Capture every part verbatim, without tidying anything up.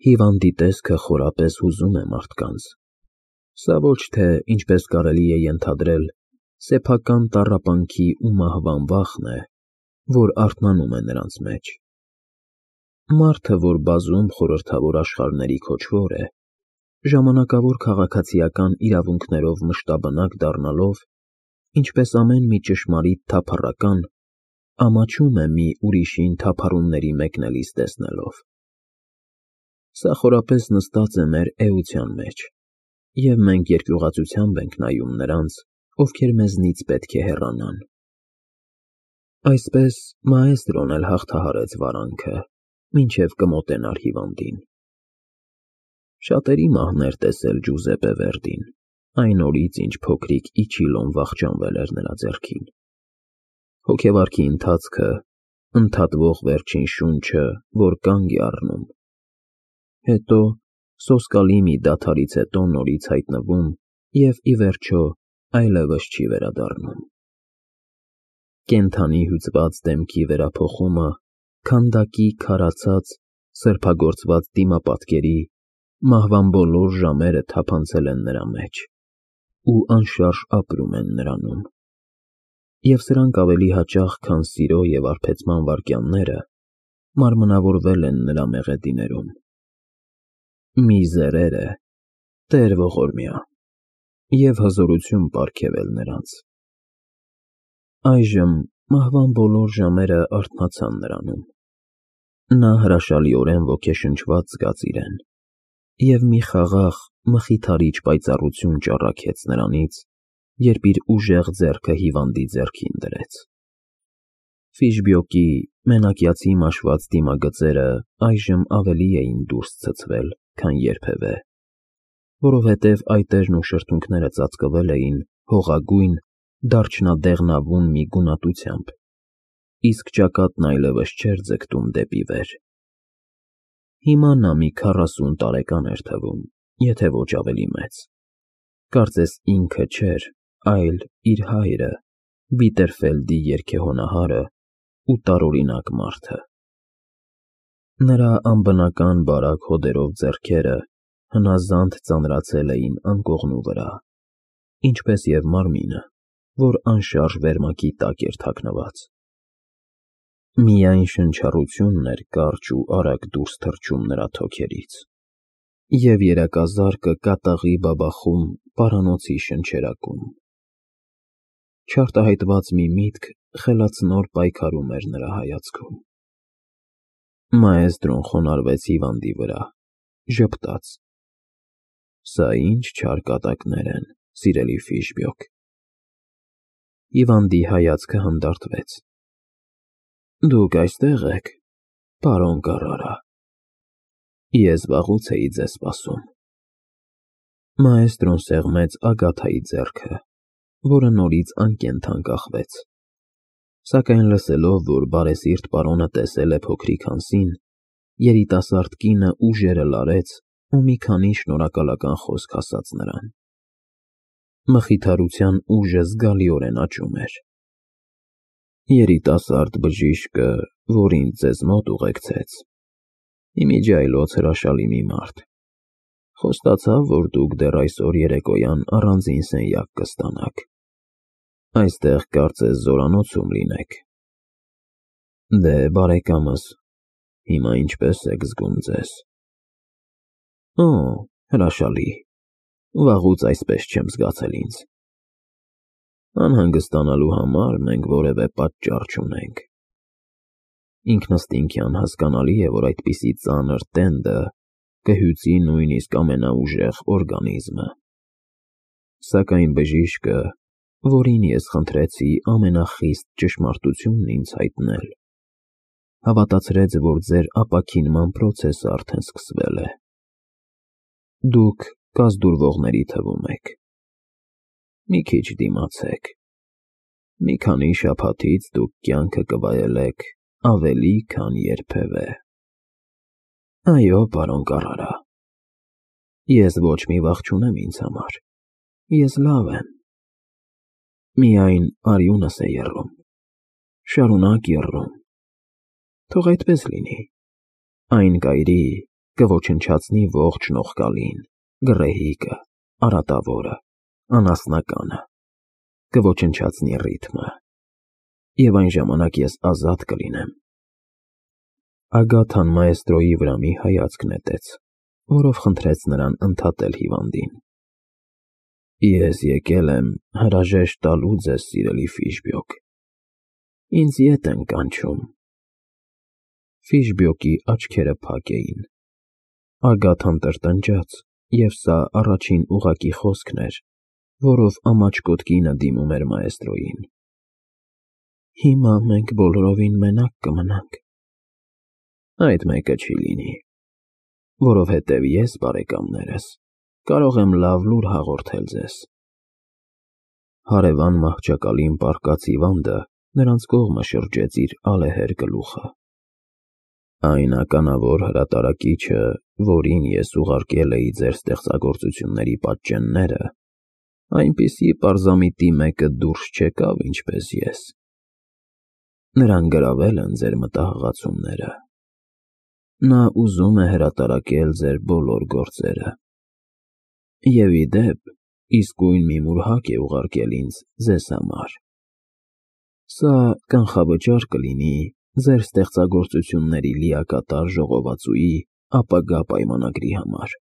Հիվանդի տեսքը խորապես հուզում է մարդկանց, սա ոչ թե, ինչպես կարելի է ենթադրել, սեփական տառապանքի ու մահվան վախն է, որ արթնանում է նրանց մեջ։ Մարդը, որ բազում խորհրդավոր աշխարհների քոչվոր է, ժամանակավոր քաղաքացիական իրավունքներով մշտաբնակ դառնալով, ինչպես ամեն մի ճշմարիտ թափառական, ամաչում է մի ուրիշին թափառումների մեկնելիս տեսնելով։ Սա խորապես նստած է մեր էության մեջ, և մենք երկյուղածությամբ ենք նայում նրանց, ովքեր մեզնից պետք է հեռանան։ Այսպես մաեստրոն էլ հաղթահարեց վարանքը, մինչև կմոտենար հիվանդին։ Շատերի մահն էր տեսել Ջուզեպպե Վերդին, այն օրից, ինչ փոքրիկ Իչիլոն վախճանվել էր նրա ձեռքին։ Հոգեվարքի ընթացքը, ընդհատվող վերջին շունչը, որ կանգ է առնում։ Հետո, սոսկալի մի դադարից հետո նորից հայտնվում և, ի վերջո, այլևս չի վերադառնում։ Կենդանի հյուծված դեմքի վերափոխումը քանդակի քարացած, սրբագործված դիմապատկերի, մահվան բոլոր ժամերը թափանցել են նրա մեջ ու անշարժ ապրում են նրանում։ Եվ սրանք ավելի հաճախ, քան սիրո և արբեցման վայրկյանները, մարմնավորվել են նրա մեղեդիներում։ Միզերերը, Տեր ողորմյա, և հզորություն պարգևել նրանց։ Այժմ մահվան բոլոր ժամերը արթնացան նրանում։ Նա հրաշալիորեն ոգեշնչված զգաց իրեն, և մի խաղաղ, մխիթարիչ պայծառություն ճառագեց նրանից, երբ իր ուժեղ ձեռքը հիվանդի ձեռքին դրեց։ Ֆիշբյոկի մենակյացի մաշված դիմագծերը այժմ ավելի էին դուրս ցցվել, քան երբևէ, որովհետև այտերն ու շրթունքները ծածկվել էին հողագույն, դարչնադեղնավուն մի գունատությամբ, իսկ ճակատն այլևս չէր ձգտում դեպի վեր։ Հիմա նա մի քառասուն տարեկան էր թվում, եթե ոչ ավելի մեծ։ Կարծես ինքը չէր, այլ իր հայրը, Վիտերֆելդի երգեհոնահարը ու տարօրինակ մարդը։ Նրա անբնական բարակ հոդերով ձեռքերը հնազանդ ծանրացել էին անկողնու վրա, ինչպես և մարմինը, որ անշարժ վերմակի տակ էր թաքնված։ Միայն շնչառությունն էր կարճ ու արագ դուրս թռչում նրա թոքերից, և երակազարկը կատաղի բաբախում պարանոցի շնչերակում։ Չարտահայտված մի միտք խելացնոր պայքարում էր նրա հայացքում։ Մաեստրոն խոնարհվեց հիվանդի վրա, ժպտաց. «Սա ի՞նչ չար կատակներ են, սիրելի Ֆիշբյոկ»։ Հիվանդի հայացքը հանդարտվեց։ «Դուք այստեղ եք, պարոն Կառարա։ Ես վաղուց էի ձեզ սպասում»։ Մաեստրոն սեղմեց Ագաթայի ձեռքը, որը նորից անկենդան կախվեց, սակայն լսելով, որ բարեսիրտ պարոնը տեսել է փոքրիկ Հանսին, երիտասարդ կինը ուժերը լարեց ու մի քանի շնորհակալական խոսք ասաց նրան։ Մխիթարության ուժը զգալիորեն աճում էր։ Երիտասարդ բժիշկը, որ ինձ ձեզ մոտ ուղեկցեց, ի միջի այլոց հրաշալի մի մարդ, խոստացավ, որ դուք դեռ այսօր երեկոյան առանձին սենյակ կստանաք։ Այստեղ կարծես զորանոցում լինեք։ Դե, բարեկամս, հիմա ինչպե՞ս եք զգում ձեզ։ Օ, հրաշալի, վաղուց այսպես չեմ զգացել ինձ։ Անհանգստանալու համար մենք որևէ պատճառ չունենք։ Ինքնըստինքյան հասկանալի է, որ այդպիսի ծանր տենդը կհյուծի նույնիսկ ամենաուժեղ օրգանիզմը։ Սակայն բժիշկը, որին ես խնդրեցի ամենախիստ ճշմարտությունն ինձ հայտնել, հավատացրեց, որ ձեր ապաքինման պրոցեսը արդեն սկսվել է։ Դուք կազդուրվողների թվում եք։ Մի քիչ դիմացեք։ Մի քանի շաբաթից դուք կյանքը կվայելեք ավելի, քան երբևէ։ Այո, պարոն Կառարա, ես ոչ մի վախ չունեմ ինձ համար, ես լավ եմ։ Միայն արյունս է եռում, շարունակ եռում։ Թող այդպես լինի, այն կայրի, կոչնչացնի ողջ նողկալին, գռեհիկը, արատավորը, անասնականը, կոչնչացնի ռիթմը, և այն ժամանակ ես ազատ կլինեմ։ Ագաթան մաեստրոյի վրա մի հայացք նետեց, որով խնդրեց նրան ընդհատել հիվանդին։ Ես եկել եմ հրաժեշտ տալու ձեզ, սիրելի Ֆիշբյոկ, ինձ ետ են կանչում։ Ֆիշբյոկի աչքերը փակ էին։ Ագաթան տրտնջաց, և սա առաջին ուղղակի խոսքն էր, որով ամաչկոտ կինը դիմում էր մաեստրոյին։ Հիմա մենք բոլորովին մենակ կմնանք։ Այդ մեկը չի լինի, որովհետև ես, բարեկամներս, կարող եմ լավ լուր հաղորդել ձեզ։ Հարևան մահճակալին պառկած հիվանդը նրանց կողմը շրջեց իր ալեհեր գլուխը։ Այն ականավոր հրատարակիչը, որին ես ուղարկել էի ձեր ստեղծագործությունների պատճենները, այնպիսի պարզամիտի մեկը դուրս չեկավ, ինչպես ես։ Նրան գրավել են ձեր մտահղացումները։ Նա ուզում է հրատարակել ձեր բոլոր գործերը։ Եվ ի դեպ, իսկույն մի մուրհակ է ուղարկել ինձ ձեզ համար։ Սա կանխավճար կլինի ձեր ստեղծագործությունների լիակատար ժողովածուի ապագա պայմանագրի համար։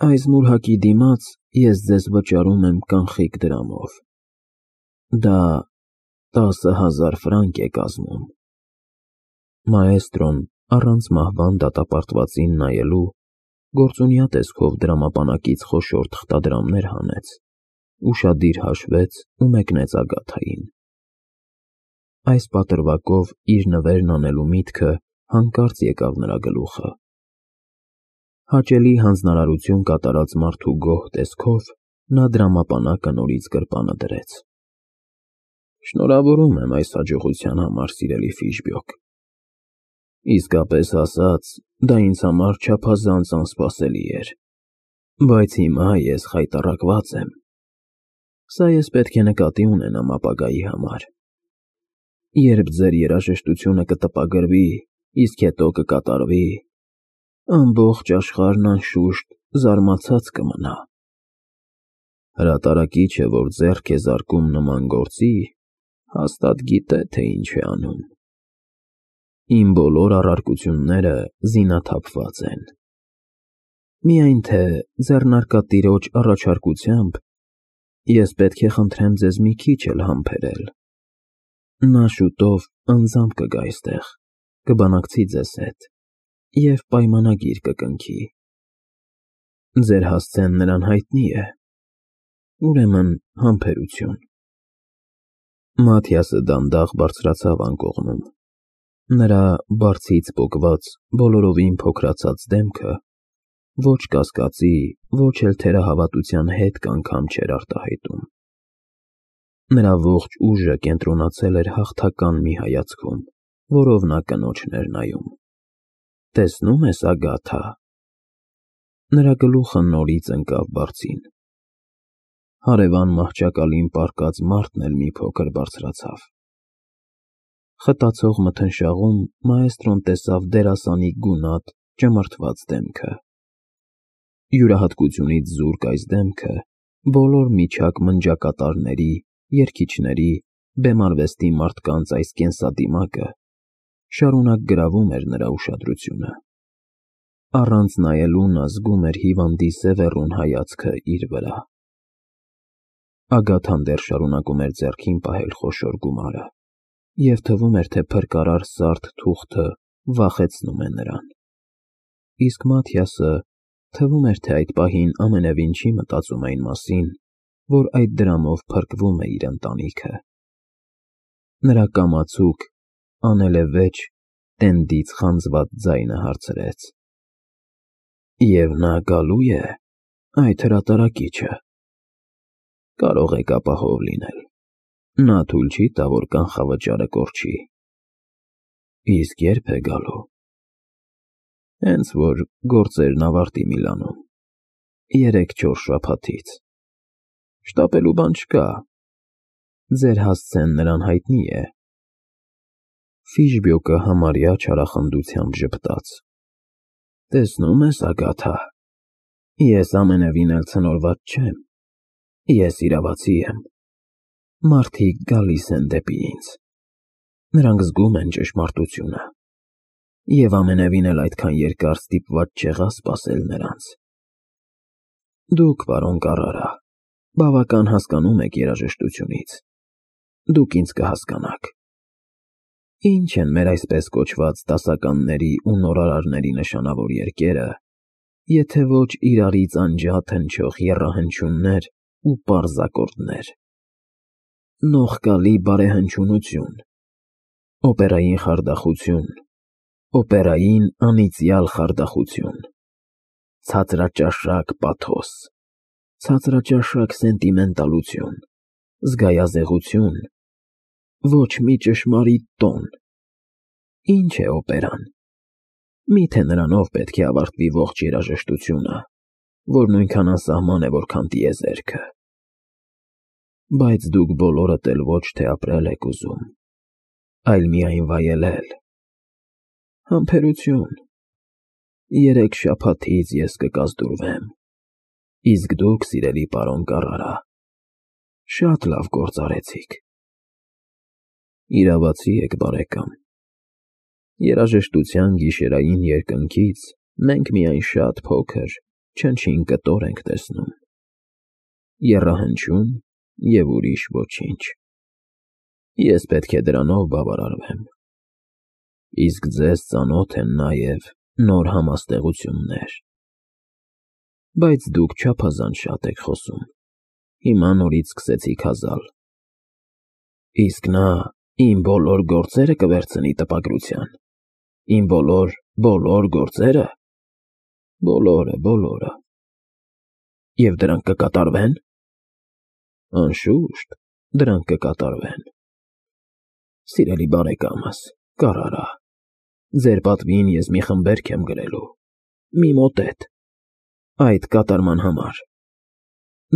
Այս մուրհակի դիմաց ես ձեզ վճարում եմ կանխիկ դրամով։ Դա տասը հազար ֆրանկ է կազմում։ Մաեստրոն առանց մահվան դատապարտվածին նայելու գործունյա տեսքով դրամապանակից խոշոր թղթադրամներ հանեց, ուշադիր հաշվեց ու մեկնեց Ագաթային։ Այս պատրվակով իր նվերն անելու միտքը հանկարծ եկավ նրա գլուխը։ Հաճելի հանձնարարություն կատարած մարդու գոհ տեսքով նա դրամապանակը նորից գրպանը դրեց։ Շնորհավորում եմ այս հաջողության համար, սիրելի Ֆիշբյոկ։ Իսկապես ասած, դա ինձ համար չափազանց անսպասելի էր, բայց հիմա ես խայտառակված եմ։ Սա ես պետք է նկատի ունենամ ապագայի համար։ Երբ ձեր երաժշտությունը կտպագրվի, իսկ հետո կկատարվի, ամբողջ աշխարհն անշուշտ զարմացած կմնա։ Հրատարակիչը, որ ձեռք է զարկում նման գործի, հաստատ գիտե, թե ինչ է անում։ Իմ բոլոր առարկությունները զինաթափված են։ Միայն թե ձեռնարկատիրոջ առաջարկությամբ ես պետք է խնդրեմ ձեզ մի քիչ էլ համբերել։ Նա շուտով անձամբ կգա այստեղ, կբանակցի ձեզ հետ և պայմանագիր կկնքի։ Ձեր հասցեն նրան հայտնի է։ Ուրեմն համբերություն։ Մաթիասը դանդաղ բարձրացավ անկողնում։ Նրա բարձից պոկված, բոլորովին փոքրացած դեմքը ոչ կասկածի, ոչ էլ թերահավատության հետք անգամ չէր արտահայտում։ Նրա ողջ ուժը կենտրոնացել էր հաղթական մի հայացքում, որով նա կնոջն էր նայում։ Տեսնո՞ւմ ես, Ագաթա։ Նրա գլուխը նորից ընկավ բարձին։ Հարևան մահճակալին պառկած մարդն էլ մի փոքր բարձրացավ։ Խտացող մթնշաղում մաեստրոն տեսավ դերասանի գունատ, ճմրթված դեմքը։ Յուրահատկությունից զուրկ այս դեմքը բոլոր միջակ մնջակատարների, երգիչների, բեմարվեստի մարդկանց այս կենսադիմակը շարունակ գրավում էր նրա ուշադրությունը։ Առանց նայելու նա զգում էր հիվանդի սևեռուն հայացքը իր վրա։ Ագաթան դեռ շարունակում էր ձեռքին պահել խոշոր գումարը, և թվում էր, թե փրկարար սարդ թուղթը վախեցնում է նրան։ Իսկ Մաթիասը թվում էր, թե այդ պահին ամենևին չի մտածում այն մասին, որ այդ դրամով փրկվում է իր ընտանիքը։ Նրա կամացուկ, անելևեջ, տենդից խանձված ձայնը հարցրեց. Եվ նա գալո՞ւ է, այդ հրատարակիչը։ Կարող եք ապահով լինել, նա թույլ չի տա, որ կանխավճարը կորչի։ Իսկ ե՞րբ է գալու։ Հենց որ գործերն ավարտի Միլանում, երեք֊չորս շաբաթից։ Շտապելու բան չկա։ Ձեր հասցեն նրան հայտնի է։ Ֆիշբյոկը համարյա չարախնդությամբ ժպտաց։ Տեսնում ես, Ագաթա, ես ամենևին էլ ցնորված չեմ, ես իրավացի եմ, մարդիկ գալիս են դեպի ինձ, նրանք զգում են ճշմարտությունը, և ամենևին էլ այդքան երկար ստիպված չեղա սպասել նրանց։ Դուք, պարոն Կարրարա, բավական հասկանում եք երաժշտությունից, դուք ինձ կհասկանաք։ Ինչ են մեր այսպես կոչված դասականների ու նորարարների նշանավոր երկերը, եթե ոչ իրարից անջատ հնչող եռահնչյուններ ու պարզ ակորդներ։ Նողկալի բարեհնչյունություն, օպերային խարդախություն, օպերային անիծյալ խարդախություն, ցածրաճաշակ պաթոս, ցածրաճաշակ սենտիմենտալություն, զգայազեղություն, ոչ մի ճշմարիտ տոն։ Ինչ է օպերան։ Միթե նրանով պետք է ավարտվի ողջ երաժշտությունը, որ նույնքան անսահման է, որքան տիեզերքը։ Բայց դուք բոլորդ էլ ոչ թե ապրել եք ուզում, այլ միայն վայելել։ Համբերություն, երեք շաբաթից ես կկազդուրվեմ, իսկ դուք, սիրելի պարոն Կարրարա, շատ լավ գործ արեցիք։ Իրավացի եք, բարեկամ։ Երաժշտության գիշերային երկնքից մենք միայն շատ փոքր, չնչին կտոր ենք տեսնում, եռահնչյուն և ուրիշ ոչինչ։ Ես պետք է դրանով բավարարվեմ։ Իսկ ձեզ ծանոթ են նաև նոր համաստեղություններ։ Բայց դուք չափազանց շատ եք խոսում, հիմա նորից սկսեցիք հազալ։ Իսկ նա իմ բոլոր գործերը կվերցնի տպագրության, իմ բոլոր, բոլոր գործերը։ Բոլորը, բոլորը։ Եվ դրանք կկատարվե՞ն։ Անշուշտ, դրանք կկատարվեն։ Սիրելի բարեկամս, Կարրարա, ձեր պատվին ես մի խմբերգ եմ գրելու, մի մոտետ, այդ կատարման համար։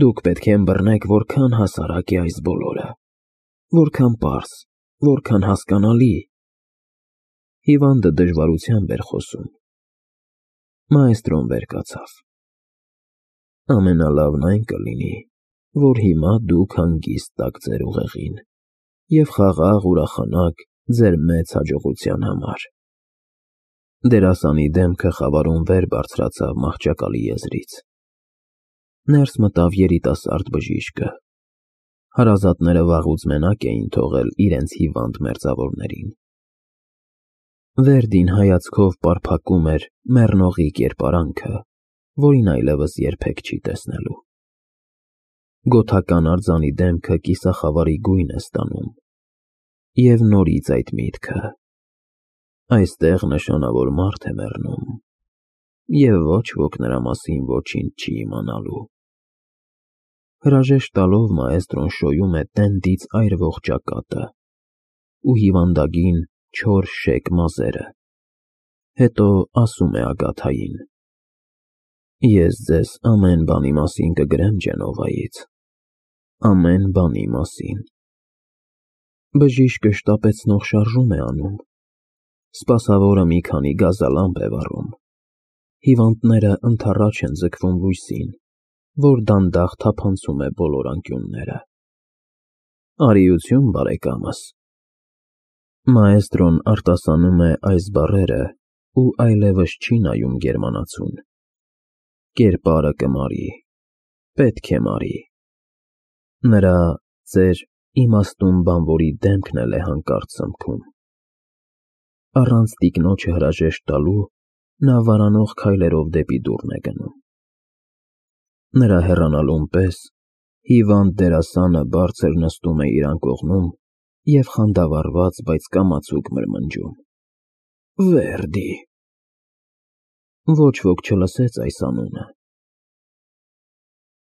Դուք պետք է ըմբռնեք, որքան հասարակ է այս բոլորը, որքան պարզ, որքան հասկանալի։ Հիվանդը դժվարությամբ էր խոսում։ Մաեստրոն վեր կացավ։ Ամենալավն այն կլինի, որ հիմա դուք հանգիստ տաք ձեր ուղեղին և խաղաղ ուրախանաք ձեր մեծ հաջողության համար։ Դերասանի դեմքը խավարում վեր բարձրացավ մահճակալի եզրից։ Ներս մտավ երիտասարդ բժիշկը։ Հարազատները վաղուց մենակ էին թողել իրենց հիվանդ մերձավորներին։ Վերդին հայացքով պարփակում էր մեռնողի կերպարանքը, որին այլևս երբեք չի տեսնելու։ Գոթական արձանի դեմքը կիսախավարի գույն է ստանում, և նորից այդ միտքը. այստեղ նշանավոր մարդ է մեռնում, և ոչ ոք նրա մասին ոչինչ չի իմանալու։ Հրաժեշտ տալով մաեստրոն շոյում է տենդից այրվող ճակատը ու հիվանդագին չոր շեկ մազերը, հետո ասում է Ագաթային. Ես ձեզ ամեն բանի մասին կգրեմ Ջենովայից, ամեն բանի մասին։ Բժիշկը շտապեցնող շարժում է անում, սպասավորը մի քանի գազալամպ է վառում, հիվանդները ընդառաջ են ձգվում լույսին, որ դանդաղ թափանցում է բոլոր անկյունները։ Արիություն, բարեկամս։ Մաեստրոն արտասանում է այս բառերը ու այլևս չի նայում գերմանացուն։ Կերպարը կմարի, պետք է մարի։ Նրա ձեր իմաստուն բանվորի դեմքն էլ է հանկարծ սմքում։ Առանց տիկնոջը հրաժեշտ տալու նա վարանող քայլերով դեպի դուռն է գնում։ Նրա հեռանալուն պես հիվանդ դերասանը բարձր նստում է իր անկողնում և խանդավառված, բայց կամացուկ մրմնջում. Վերդի։ Ոչ ոք չլսեց այս անունը,